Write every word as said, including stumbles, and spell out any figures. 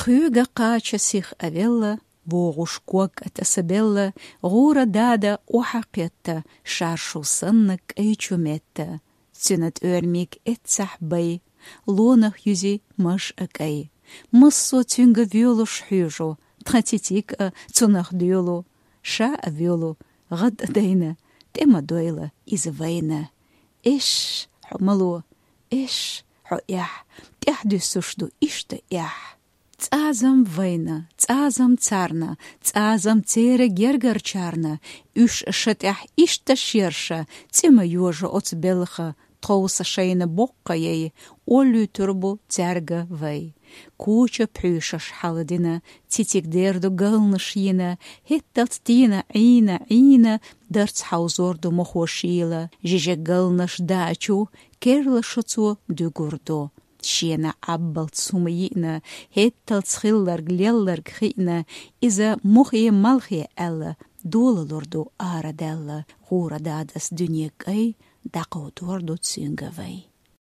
Кхуьга кхача сих а велла, вогӀуш ког а тасабелла, гӀура дада охьа кхетта, шаршу санна кӀай чу метта. Цуьнан тӀоьрмиг эццахь бай, лонах юзи маж а кӀай. Массо цуьнга воьлуш хьуьжу, тхан цициг а цунах доьлу, ша а воьлу, гӀад а дайна, тӀе ма дойла иза вайна. Эш, хьо мало, эш, хьо эхь, тӀаьхьа дуьссуш ду иштта эхь. ЦӀазам вайна, цӀазам царна, цӀазам церан гергарчарна, уьш ша тӀехь иштта шерша, цӀе ма йожа оцу белха, тховса шайна боккха яй, олуьйтур бу цаьрга вай. Куча пхьуьйшаш хьаладина, цициг дер ду галнаш йина, хӀетталц тийна Ӏийна, Ӏийна, дарц хьовзор ду мохо шийла, жижиг галнаш дачу, керла шо цо дуьгур ду. Шена Ӏаббалц хӀума йиъна, хӀетталц хилларг лелларг хиъна, иза мохе малхе аьлла, долалур ду арадаьлла, гӀура дадас дуьне кӀай, дӀакховдор ду цуьнга вай.